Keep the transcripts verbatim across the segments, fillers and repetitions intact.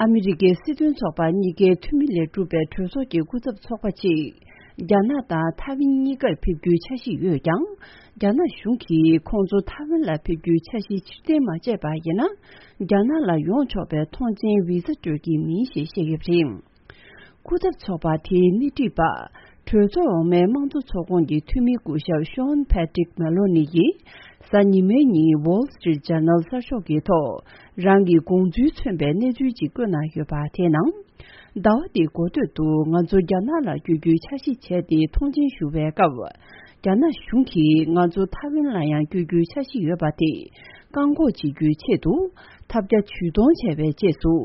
ཨ་མི་རི་ཀའི་སྲིད་དོན་ཚོགས་པ་གཉིས་ཀའི་འཐུས་མི་ལས་གྲུབ་པའི་གྲོས་ཚོགས་ཀྱི་སྐུ་ཚབ་ཚོགས་པ་གཅིག་རྒྱ་ནག་དང་ཐའེ་ཝན་གཉིས་ཀར་ཕེབས་རྒྱུའི་འཆར་གཞི་ཡོད་ཀྱང་། རྒྱ་ནག་གཞུང་གིས་ཁོང་ཚོ་ཐའེ་ཝན་ལ་ཕེབས་རྒྱུའི་འཆར་གཞི་ཕྱིར་འཐེན་མ་བྱས་པ་ཡིན་ན། རྒྱ་ནག་ལ་ཡོང་ཆོག་པའི་ཐོངས་མཆན་བི་ཟ་སྤྲོད་ཀྱི་མིན་ཞེས་བཤད་ཡོད་པ་རེད། སྐུ་ཚབ་ཚོགས་པ་དེའི་སྣེ་ཁྲིད་པ། གྲོས་ཚོགས་འོག་མའི་དམངས་གཙོ་ཚོགས་ཁོངས་ཀྱི་འཐུས་མི་སྐུ་ཞབས་ཤོན་ཕེ་ཏྲིག་མེ་ལོ་ནི་ཡིས། གཟའ་ཉི་མའི་ཉིན་Wall Street Journal གསར་ཤོག་གི་ཐོག་རང་གི་དགོངས་ཚུལ་མཚོན་པའི་གནས་ཚུལ་ཅིག་བཀོད་གནང་ཡོད་པ་དེའི་ནང་། ཟླ་བ་འདིའི་འགོ་སྟོད་དུ་ང་ཚོ་རྒྱ་ནག་ལ་བསྐྱོད་རྒྱུའི་འཆར་གཞི་བྱས་ཏེ་ཐོངས་མཆན་ཞུ་བའི་སྐབས། རྒྱ་ནག་གཞུང་གིས་ང་ཚོ་ཐའེ་ཝན་ལ་ཡང་བསྐྱོད་རྒྱུའི་འཆར་གཞི་ཡོད་པ་དེ་བཀག་འགོག་བྱེད་རྒྱུའི་ཆེད་དུ་ཐབས་བརྒྱ་ཇུས་སྟོང་བྱས་པའི་རྗེས་སུ།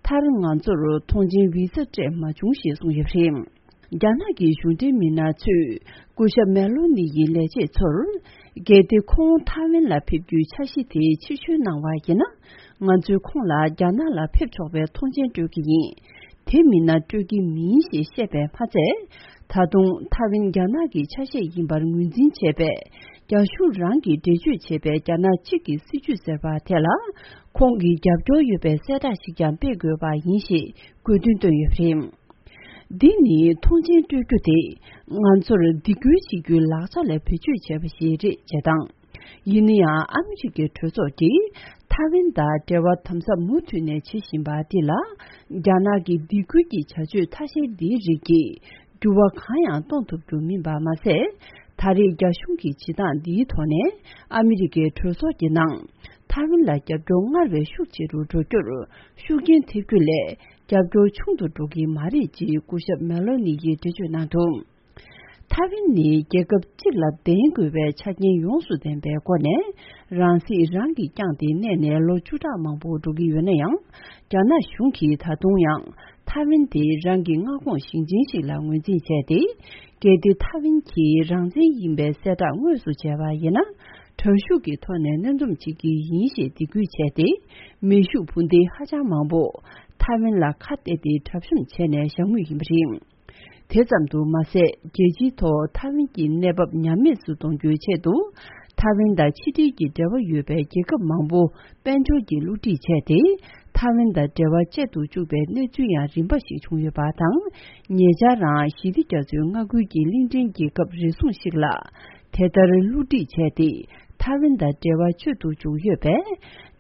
མཐར་ང་ཚོར་ཐོངས་མཆན་བི་ཟ་སྤྲད་མ་བྱུང་ཞེས་གསུངས་ཡོད་པ་རེད། རྒྱ་ནག་གི་གཞུང་འབྲེལ་མི་སྣ་ཚོས་སྐུ་ཞབས་མེ་ལོ་ནི་ཡི་ལས་བྱེད་ཚོར། གལ་ཏེ་ཁོང་ཐའེ་ཝན་ལ་ཕེབས་རྒྱུའི་འཆར་གཞི་དེ་ཕྱིར་བཤོལ་གནང་བ་ཡིན་ན། ང་ཚོས་ཁོང་ལ་རྒྱ་ནག་ལ་ཕེབས་ཆོག་པའི་ཐོངས་མཆན་སྤྲོད་ཀྱི་ཡིན། དེ་མིན་ན་སྤྲོད་ཀྱི་མིན་ཞེས་བཤད་པས་མ་ཚད། ད་དུང་ཐའེ་ཝན་རྒྱ་ནག་གི་ཆ་ཤས་ཡིན་པར་ངོས་འཛིན་བྱས་པས། རྒྱ་གཞུང་རང་གིས་འགྲེལ་བརྗོད་བྱས་པའི་རྒྱ་ནག་གཅིག་གི་སྲིད་ཇུས་ཟེར་བ་དེ་ལ། ཁོང་གི་རྒྱབ་སྐྱོར་ཡོད་པའི་གསལ་བསྒྲགས་ཤིག་ཀྱང་སྤེལ་དགོས་པ་ཡིན་ཞེས་དགོས་འདུན་བཏོན་ཡོད་པ་རེད། འདི་ནི་ཐོངས་མཆན་སྤྲོད་རྒྱུ་དེ་ང་ཚོར་སྡིགས་སྐུལ་བྱེད་རྒྱུའི་ལག་ཆ་ལ་བེད་སྤྱོད་བྱས་པ་ཞིག་རེད་ཅེས་དང་། ཡིན་ན་ཡང་ཨ་མི་རི་ཀའི་གྲོས་ཚོགས་ཀྱིས་ཐའེ་ཝན་དང་འབྲེལ་བ་དམ་ཟབ་མུ་མཐུད་ནས་བྱེད་བཞིན་པ་འདི་ལ། རྒྱ་ནག་གི་སྡིགས་སྐུལ་གྱི་བྱ་སྤྱོད་ཐ་ཤལ་འདིའི་རིགས་ཀྱིས་འགྱུར་བ་གང་ཡང་གཏོང་ཐུབ་རྒྱུ་མིན་པ་མ་ཟད། ད་རེས་རྒྱ་གཞུང་གི་བྱེད་སྟངས་འདིའི་ཐོག་ནས་ཨ་མི་རི་ཀའི་གྲོས་ཚོགས་ཀྱི་ནང་ཐའེ་ཝན་ལ་རྒྱབ་སྐྱོར་སྔར་བས་ཤུགས་ཆེ་རུ་འགྲོ་རྒྱུར་ཤུགས་རྐྱེན་ཐེབས་རྒྱུ་ལས། རྒྱབ་སྐྱོར་ཆུང་དུ་འགྲོ་གི་མ་རེད་ཅེས་སྐུ་ཞབས་མེ་ལོ་ནི་ཡིས་འགྲེལ་བརྗོད་གནང་འདུག་ཐའེ་ཝན་ནི་རྒྱལ་ཁབ་གཅིག་ལ་ལྡན་དགོས་པའི་ཆ་རྐྱེན་ཡོངས་སུ་ལྡན་པའི་སྒོ་ནས་རང་སྲིད་རང་གིས་བསྐྱངས་ཏེ་གནས་ནས་ལོ་བཅུ་ཕྲག་མང་པོ་འགྲོ་གི་ཡོད་ན་ཡང་། རྒྱ་ནག་གཞུང་གིས་ད་དུང་ཡང་ཐའེ་ཝན་དེ་རང་གི་མངའ་ཁོངས་ཞིང་ཆེན་ཞིག་ལ་ངོས་འཛིན་བྱས་ཏེ། གལ་ཏེ་ཐའེ་ཝན་གྱིས་རང་བཙན་ཡིན་པའི་གསལ་བསྒྲགས་དངོས་སུ་བྱས་པ་ཡིན་ན། དྲག་ཤུགས་ཀྱི་ཐོག་ནས་གནོན་འཛོམས་བྱེད་ཀྱི་ཡིན་ཞེས་སྡིགས་སྐུལ་བྱས་ཏེ། མེ་ཤུགས་འཕུར་མདེལ་ཧ་ཅང་མང་པོ་ཐའེ་ཝན་ལ་ཁ་གཏད་དེ་གྲབས་གཤོམ་བྱས་ནས་བཞག་མུས་ཡིན་པ་རེད། དེ་ཙམ་དུ་མ་ཟད། རྒྱལ་སྤྱིའི་ཐོག་ཐའེ་ཝན་གྱི་གནས་བབ་ཉམས་དམས་སུ་གཏོང་རྒྱུའི་ཆེད་དུ། ཐའེ་ཝན་དང་ཕྱི་འབྲེལ་གྱི་འབྲེལ་བ་ཡོད་པའི་རྒྱལ་ཁབ་མང་པོ་དཔལ་འབྱོར་གྱི་བསླུ་བྲིད་བྱས་ཏེ། ཐའེ་ཝན་དང་འབྲེལ་བ་བཅད་དུ་བཅུག་པའི་གནས་ཚུལ་ཡང་རིམ་པ་ཞིག་བྱུང་ཡོད་པ་དང་། ཉེ་ཆར་རང་ཞི་བདེ་རྒྱ་མཚོའི་མངའ་ཁུལ་གྱི་གླིང་ཕྲན་རྒྱལ་ཁབ་རེ་ཟུང་ཞིག་ལ། དེ་ལྟར་བསླུ་བྲིད་བྱས་ཏེ། ཐའེ་ཝན་དང་འབྲེལ་བ་གཅོད་དུ་བཅུག་ཡོད་པས།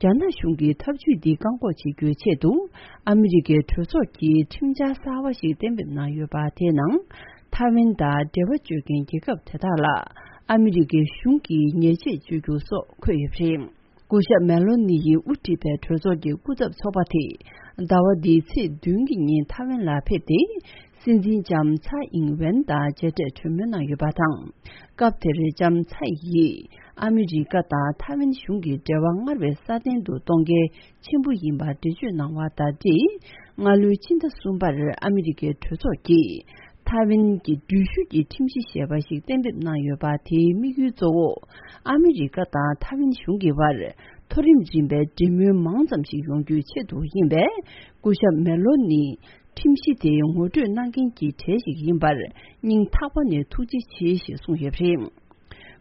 རྒྱ་ནག་གཞུང་གིས་ཐབས་ཇུས་འདི་བཀག་འགོག་བྱེད་རྒྱུའི་ཆེད་དུ། ཨ་མི་རི་ཀའི་གྲོས་ཚོགས་ཀྱིས་ཁྲིམས་འཆར་གསར་བ་ཞིག་གཏན་འབེབས་གནང་ཡོད་པ་དེའི་ནང་། ཐའེ་ཝན་དང་འབྲེལ་བ་གཅོད་མཁན་རྒྱལ་ཁབ་དེ་དག་ལ། ཨ་མི་རི་ཀའི་གཞུང་གིས་ཉེས་ཆད་གཅོད་རྒྱུ་སོགས་འཁོད་ཡོད་པ་རེད། སྐུ་ཞབས་མེ་ལོ་ནི་ཡིས་དབུ་ཁྲིད་པའི་གྲོས་ཚོགས་ཀྱི་སྐུ་ཚབ་ཚོགས་པ་དེས། ཟླ་བ་འདིའི་ཚེས་བདུན་གྱི་ཉིན་ཐའེ་ཝན་ལ་ཕེབས་ཏེ། སྲིད་འཛིན་ལྕམ་ཚའེ་ཨིང་ཝེན་དང་མཇལ་འཕྲད་གྲོས་མོལ་གནང་ཡོད་པ་དང་། སྐབས་དེར་ལྕམ་ཚའེ་ཡིས་ཨ་མི་རི་ཀ་དང་ཐའེ་ཝན་གཞུང་གི་འབྲེལ་བ་སྔར་བས་སྲ་བརྟན་དུ་གཏོང་གལ་ཆེན་པོ་ཡིན་པར་འགྲེལ་བརྗོད་གནང་བ་དང་འབྲེལ། སྔ་ལོའི་ཕྱི་ཟླ་གསུམ་པར་ཨ་མི་རི་ཀའི་གྲོས་ཚོགས་ཀྱིས་ཐའེ་ཝན་གྱི་འགྲུལ་བཞུད་ཀྱི་ཁྲིམས་གཞི་ཞེས་པ་ཞིག་གཏན་འབེབས་གནང་ཡོད་པ། དེའི་དམིགས་ཡུལ་གཙོ་བོ་ཨ་མི་རི་ཀ་དང་ཐའེ་ཝན་གཞུང་གི་བར་མཐོ་རིམ་རིམ་པའི་འབྲེལ་མོལ་མང་ཙམ་ཞིག་ཡོང་རྒྱུའི་ཆེད་དུ་ཡིན་པས། སྐུ་ཞབས་མེ་ལོ་ནི་ཁྲིམས་གཞི་དེ་ངོ་སྤྲོད་གནང་མཁན་གྱི་གྲས་ཤིག་ཡིན་པར་སྙིང་ཐག་པ་ནས་ཐུགས་རྗེ་ཆེ་ཞེས་གསུངས་ཡོད་པ་རེད།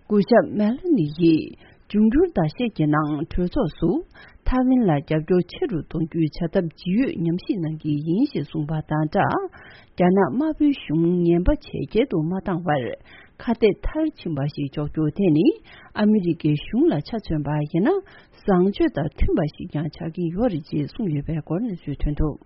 སྐུ་ཞབས་མེ་ལོ་ནི་ཡིས་འབྱུང་འགྱུར་ཟླ་ཤས་ཀྱི་ནང་གྲོས་ཚོགས་སུ་ཐའེ་ཝན་ལ་རྒྱབ་སྐྱོར་ཆེ་རུ་གཏོང་རྒྱུའི་བྱ་ཐབས་ཇི་ཡོད་ཉམས་ཞིབ་གནང་གི་ཡིན་ཞེས་གསུངས་པ་དང་སྦྲགས། རྒྱ་ནག་དམར་པོའི་གཞུང་ངན་པ་ཇེ་རྒྱས་དུ་མ་བཏང་བར་ཁ་གཏད་མཐར་ཕྱིན་པ་ཞིག་འཇོག་རྒྱུ་དེ་ནི་ཨ་མི་རི་ཀའི་གཞུང་ལ་ཆ་མཚོན་པ་ཡིན་ན་བཟང་སྤྱོད་དང་མཐུན་པ་ཞིག་ཀྱང་ཆགས་ཀྱི་ཡོད་རེད་ཅེས་གསུངས་ཡོད་པའི་སྐོར་གནས་ཚུལ་ཐོན་འདུག